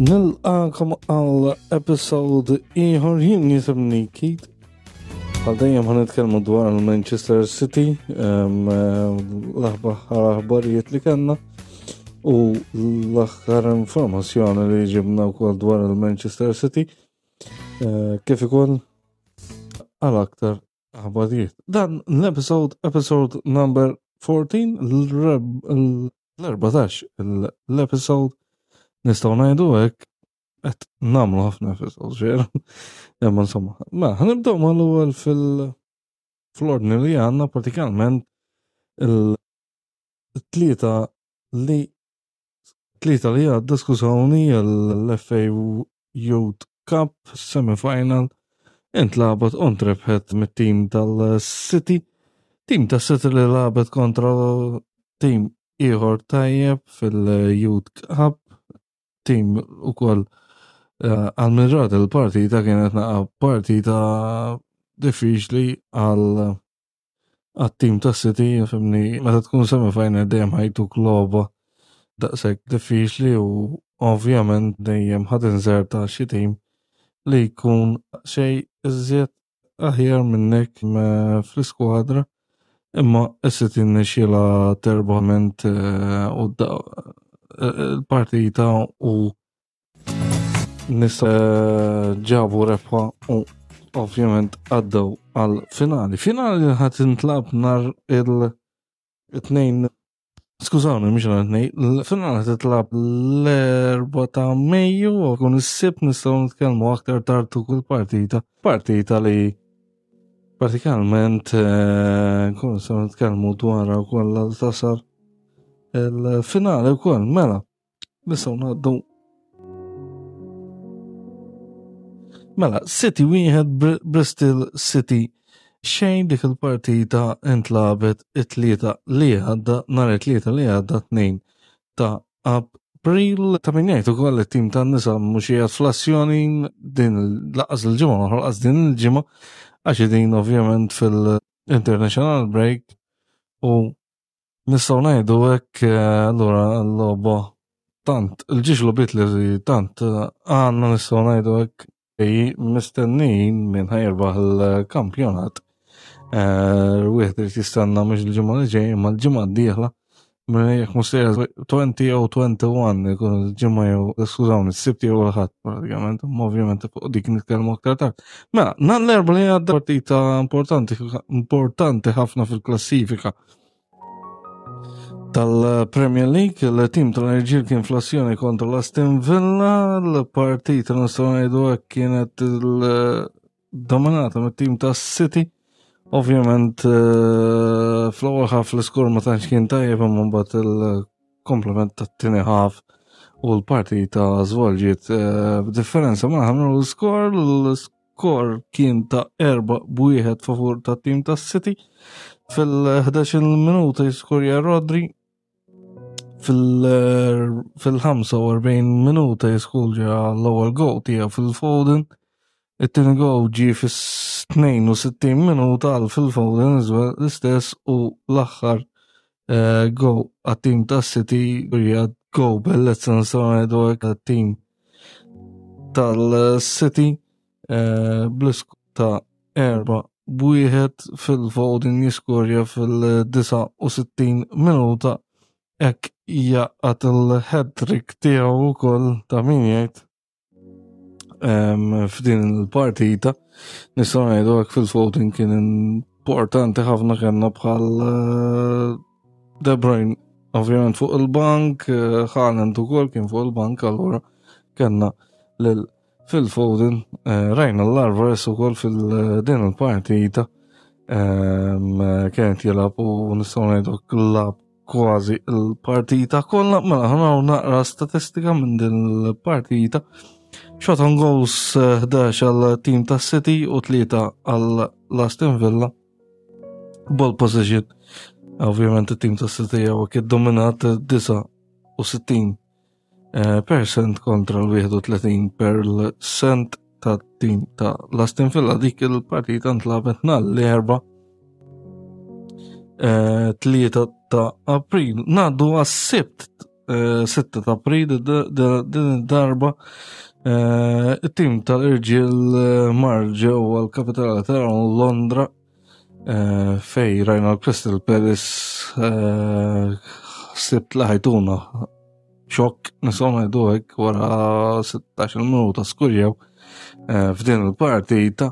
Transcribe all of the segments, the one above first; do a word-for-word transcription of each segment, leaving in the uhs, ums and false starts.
Nilqakom għal episode ieħor. Jien jisimni Keith. Għal dejjem ħa nitkellmu dwar il-Manchester City, l-aħbar aħbarijiet li kellna u l-aħħar informazzjoni li ġibna wkoll dwar il-Manchester City, eh, kif ukoll għal aktar aħbarijiet. Dan l-episode, episode number fourteen, l-erbatax l-episode, nistgħu ngħidu hekk, qed nagħmlu ħafna episodes veru. Imma insomma, ma ħa nibdew mal-ewwel fil fl-ordni li għandna, pratikament il-tlieta li tlieta li għadda, skużawni, l-F A Youth Cup semi-final intlagħbet u ntrebħet mit-tim tal-City. Tim tas-City li lagħbet kontra tim ieħor tajjeb fil-Youth Cup, tim ukoll eh, għal min ra il-partita, kienet naqa partita diffiċli għal għat-tim ta' City, fhimni, meta tkun semi-final dejjem ħa jtuk logħba daqshekk diffiċli u ovvjament dejjem ħa tinżerta xi tim li jkun xejn iżjed aħjar minnek fl-iskwadra. Imma is-City nixxiela terbament eh, u il-partita u nisa ġabu rebħa u ovvjament għaddew għal finali. Finali li ħa tintlagħab nhar il-tnejn, skużawni, mhux nhar it-tnejn, il-finali titlagħab l-erbgħa ta' Mejju u kun is-Sibt, nistgħu nitkellmu aktar tard kull partita. Partita li pratikament eh, nkunu nistgħu nitkellmu dwarha wkoll għal tasal il-finali wkoll, mela. Nistgħu ngħaddu. Mela, City wieħed, Bristol City xejn. Dik il-partita intlagħbet it-tlieta li għadda, nhar it-tlieta li għadda, tnejn ta' April. Ta' min jgħid ukoll, it-tim tan-nisa mhux qiegħed fl-azzjoni din lanqas il-ġimgħa, lanqas din il-ġimgħa, għax din ovvjament fil-international break u nistgħu ngħidu hekk, eh, allura l-logħba tant il-ġiex logħbiet li tant eh, għandna, nistgħu ngħidu hekk, mistennijin minn ħa jirbaħ il-kampjonat. Eh, wieħed irid jistenna mhux il-ġimgħa li ġej imma l-ġimgħa d-dieħla. Jekk mhux għoxrin jew wieħed u għoxrin ikun il-ġimgħa jew, skużawni, s-Sibt jew il-Ħadd pratikament, imma ovvjament fuq dik nitkellmu aktar tard. Mela, nhar l-Erbgħa li għadda, partita importanti importanti ħafna fil-klassifika tal-Premier League, il-tim tal-irġiel kien fl-azzjoni kontra l-Aston Villa, l-partita, nistgħu ngħidu hekk, kienet dominata mit-tim tas City. Ovvjament eh, fl-ewwel half l-iskor ma tantx kien tajjeb, imma mbagħad il-komplement tat-tieni half u l-partita żvolġiet eh, b'differenza ma ħamlu l-skor, l-skor kien ta' erba' b'wieħed favur tat-tim tas City. Fil-ħdax-il minuta jiskorja Rodri, fil-ħamsa u erbgħin minuta jiskorja l-ewwel goal tiegħu Phil Foden. It-tieni goal ġie fis-tnejn u sittin minuta għal Phil Foden l-istess u l-aħħar eh, goal għat-tim ta' City hija goal bellezza, nistgħu ngħidu hekk, għat-tim tal-City eh, bl-iskor ta' erba' b'wieħed, Phil Foden jiskorja fil-disgħa u sittin minuta, hekk jgħaqqad il-hat-trick tiegħu wkoll, ta' min jgħid, f'din il-partita. Nistgħu ngħidu hekk, Phil Foden kien importanti ħafna, kellna bħal eh, De Bruyne ovvjament fuq il-bank, eh, Haaland ukoll kien fuq il-bank, allura kellna lil Phil Foden, eh, rajna l-Alvarez ukoll fil-din il-partita kienet jilgħab u nistgħu ngħidu lagħab kważi il-partita kollha. Mela, ħa naraw naqra statistika minn din il-partita. Shot on goals, ħdax għal team ta' City u tlieta għal Aston Villa. Ball possession. Ovvjament il-team ta' City għu dominat disgħa u sittin eh, percent kontra l-wieħed u tletin percent ta' team ta' Aston Villa. Dik il-partita ntlagħbet nhar l-Erbgħa, eh, tlieta ta' April. Ngħaddu għas-Sibt. eh, sitta ta' April din id-darba. Eh, it-tim tal-irġiel eh, mar ġewwa l-kapitali ta' Londra fej rajna l-Crystal Palace sibt li ħajtuna xokk, nistgħu ngħidu hekk, wara sittax-il minuta skurjaw f'din il-partita,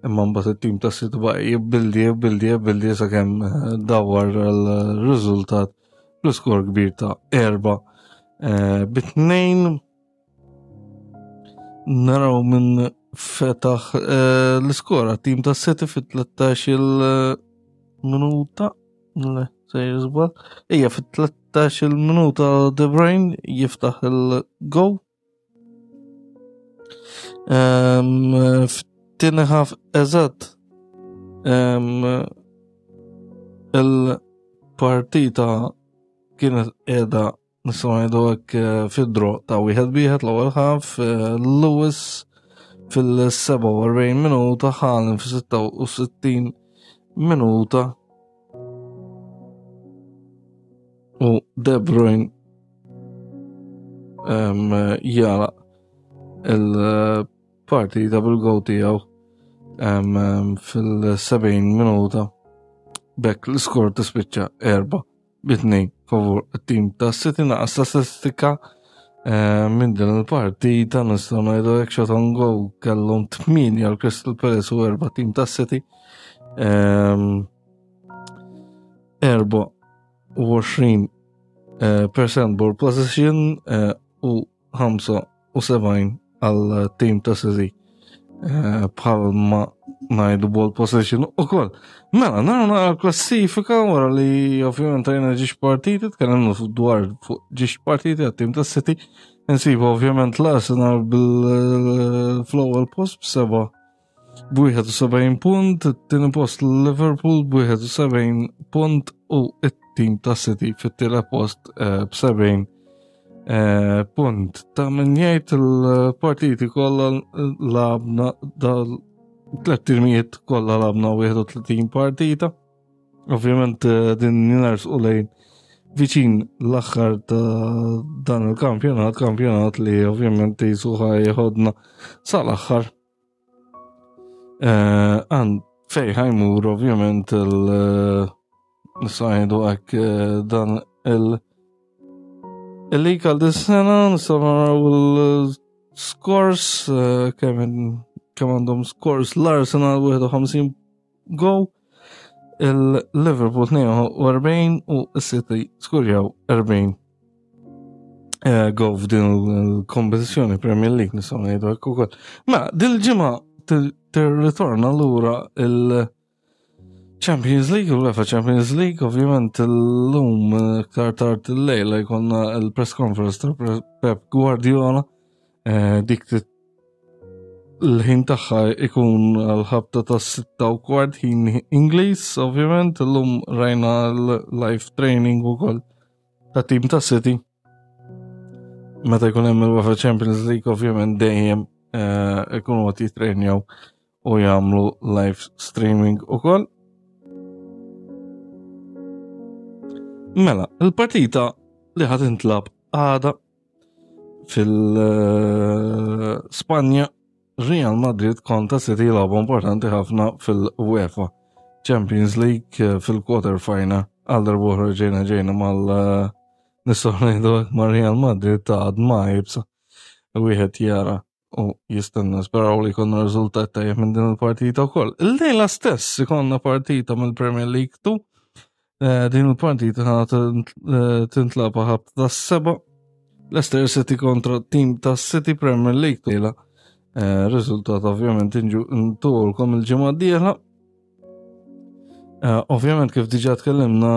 imma mbagħad it-tim ta' City baqa' jibbildi, jibbildi, jibbildi sakemm eh, dawar l-riżultat bl-iskor kbir ta' erba eh, bit-tnejn. Naraw minn fetaħ eh, l-iskora tim ta' City fit-tlettax il minuta, le, se jiżbal, ija, fit-tlettax il minuta De Bruyne jiftaħ il-goal. F'tieni half eżatt il-partita kienet qiegħda, nistgħu ngħidu hekk, eh, fid-draw ta' wieħed wieħed l-ewwel half, eh, Lewis fil-sebgħa u erbgħin minuta, Haaland fis-sitta u sittin minuta u De Bruyne jara il-partita bil-goal tiegħu fil-sebgħin minuta. B'hekk l-iskor tispiċċa erba bitnejn favur it-tim ta' City. Naqas statistika eh, minn din il-partita, nistgħu ngħidu hekk, shot on goal kellhom tmienja għal Crystal Palace u erba' tim ta' City. Erba u għoxrin eh, percent ball possession eh, u ħamsa u sebgħin għal tim ta' City. Bħalma ngħidu ball possession u koll. Mela, naraw naqra klassifika wara li ovvjament rajna żewġ partiti, tkellimna dwar fuq żewġ partiti għat-tim ta' City. Nsibu ovvjament l-Arsenal bil-fl-ewwel post b'seba' b'wieħed u sebgħin punt, it-tieni post Liverpool b'wieħed u sebgħin punt u it-tim ta' City fit-tielet post eh, b'sebgħin eh, punt. Ta' min jgħid, il-partiti kollha lagħabna, dal tlet timijiet kollha lagħabna wieħed u tletin partita. Ovvjament eh, din u lejn viċin l-aħħar ta' dan il-kampjonat, kampjonat li ovvjament jisuħa jħodna sal-aħħar. Eh, għand fej ħa jmur ovvjament il- nistgħu ngħidu hekk eh, dan il- il-league għal dis-sena. Nistgħu naraw il-scores, kemm kemm għandhom scores l-Arsenal, wieħed u ħamsin goal, il-Liverpool tnejn u erbgħin u s-City skurjaw erbgħin eh, goal f'din il-kompetizzjoni Premier League, nistgħu ngħidu hekk ukoll. Ma dil-ġimgħa tirritorna lura il- Champions League, u UEFA Champions League, ovvjament l-lum iktar tard il-lejla jkollna il-press conference ta' Pep Guardiola, eh, dik l-ħin tagħha ikun l-ħabta ta' sitta u kwart ħin Ingliż, ovvjament, illum rajna l-live training ukoll ta' team ta' City. Meta jkun hemm il-UEFA Champions League, ovvjament dejjem eh, ikunu qed jitrenjaw u jagħmlu live streaming ukoll. Mela, il-partita li ħad intlab għada fil-Spanja, Real Madrid kontra City, logħba importanti ħafna fil-UEFA Champions League eh, fil-quarter final. Għal darb'oħra ġejna ġejna mal eh, nistgħu ngħidu ma' Real Madrid ta' għadma jibsa. Wieħed jara u jistenna, speraw li jkollna riżultat tajjeb minn din il-partita wkoll. Il-lejla stess ikonna partita mill-Premier League two. Eh, din il-partita tintlagħab ħabta ta' seba. Leicester City kontra team ta' City, Premier League two. Eh, riżultat ovvjament intulkom il-ġimgħa d-dieħla. Eh, ovvjament kif diġà tkellimna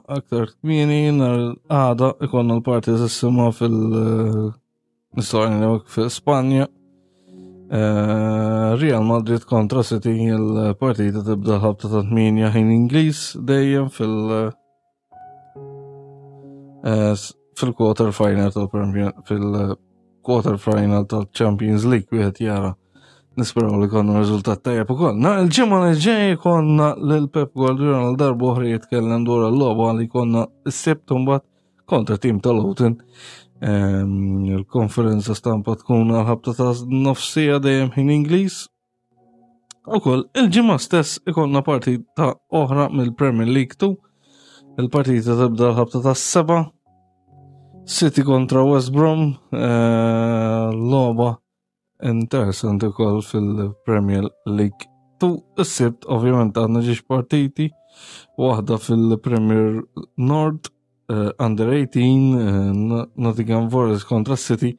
aktar kmieni, nhar għada ikonna l-partita fil- nistgħu fil-Spanja. Eh, Real Madrid kontra City, il-partita tibda ħabta ta' tmienja ħin Ingliż dejjem fil- fil-quarter final tal-Premier fil- quarter final tal-Champions League. Wieħed jara, nisperaw li konna riżultat tajjeb ukoll. Na il-ġimgħa li ġej konna lil Pep Guardiola għal darba oħra jitkellem dwar il-logħba li konna s-Sibt mbagħad kontra tim ta' Luton. Ehm, il-konferenza stampa tkun għal-ħabta ta' nofsija dejjem ħin Ingliż. Ukoll il-ġimgħa stess ikollna partita oħra mill-Premier League two. Il-partita tibda l-ħabta ta' seba. City kontra West Brom, eh, logħba interessanti wkoll fil-Premier League two. Is-Sibt ovvjament għandna żewġ partiti, waħda fil-Premier North, eh, Under eighteen, eh, Nottingham Forest kontra City.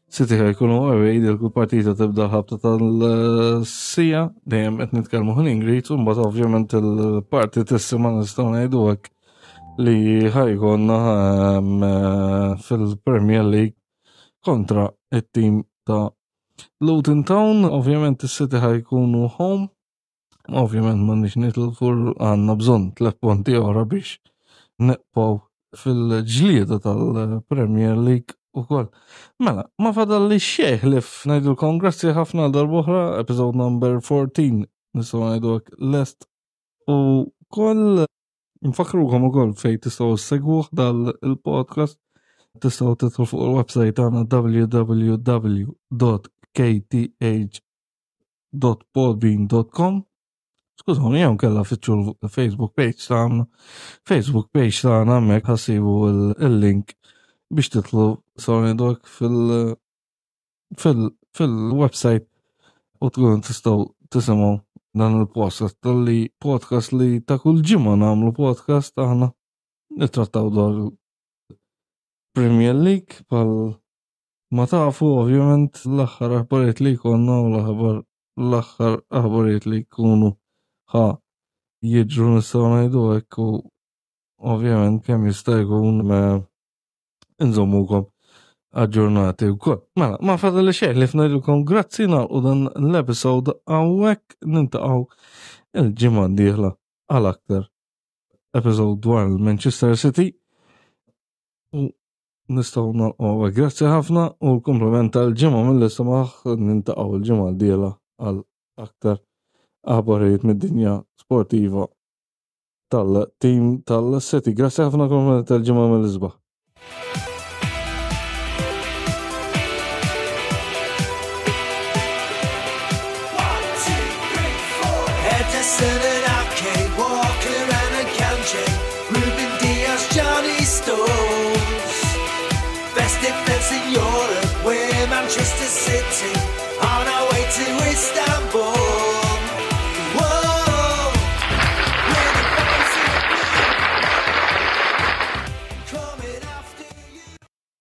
City ħajkunu away, dik il-partita tibda ħabta tas-siegħa, dejjem qed nitkellmu ħin Ingliż, u mbagħad ovvjament il-partitissima nistgħu ngħidu hekk li ħajkonna ehm, eh, fil-Premier League kontra it-tim ta' Luton Town. Ovvjament is-City ħajkunu home. Ovvjament ma nix nitilfu, għandna bżonn tliet punti oħra biex nibqgħu fil-ġlieda tal-Premier League ukoll. Mela, ma fadalli xejn ħlief ngħidulkom grazzi ħafna darb'oħra, episode number fourteen, nistgħu ngħidu hekk lest u koll nfakrukom ukoll fejn tistgħu ssegwuh dal-podcast. Tistgħu tidħlu fuq il-website tagħna w w w dot k t h dot podbean dot com. Skużawni, jew inkella fittxu l-Facebook page tagħna. Facebook page tagħna, hemmhekk ħa ssibu il-link biex tidħlu sorry fil- fil- fil-website u tkun tistgħu tisimgħu dan il-podcast tal-li podcast li ta' kull ġimgħa nagħmlu podcast aħna nittrattaw dwar Premier League bħal ma tafu, ovvjament l-aħħar aħbarijiet li jkollna u l-aħbar l-aħħar aħbarijiet li jkunu ħa jiġru, nistgħu ngħidu hekk, u ovvjament kemm jista' jkun nżommukom aġġornati wkoll. Mela, ma fadalli xejn ħlief ngħidilkom grazzi, nagħlqu dan l-episode hawnhekk, niltaqgħu il-ġimgħa d-dieħla għal aktar episode dwar il-Manchester City u nistgħu nagħlqu hawnhekk. Grazzi ħafna u l-kumplament tal-ġimgħa mill-isbaħ, niltaqgħu il-ġimgħa d-dieħla għal aktar aħbarijiet mid-dinja sportiva tal-team tal-City. Grazzi ħafna, kumplament tal-ġimgħa mill-isbaħ. One, two, three, four. Ederson and Ake, Walker and Akanji, Ruben Dias, Johnny Stones. Best defense in Europe, we're Manchester City.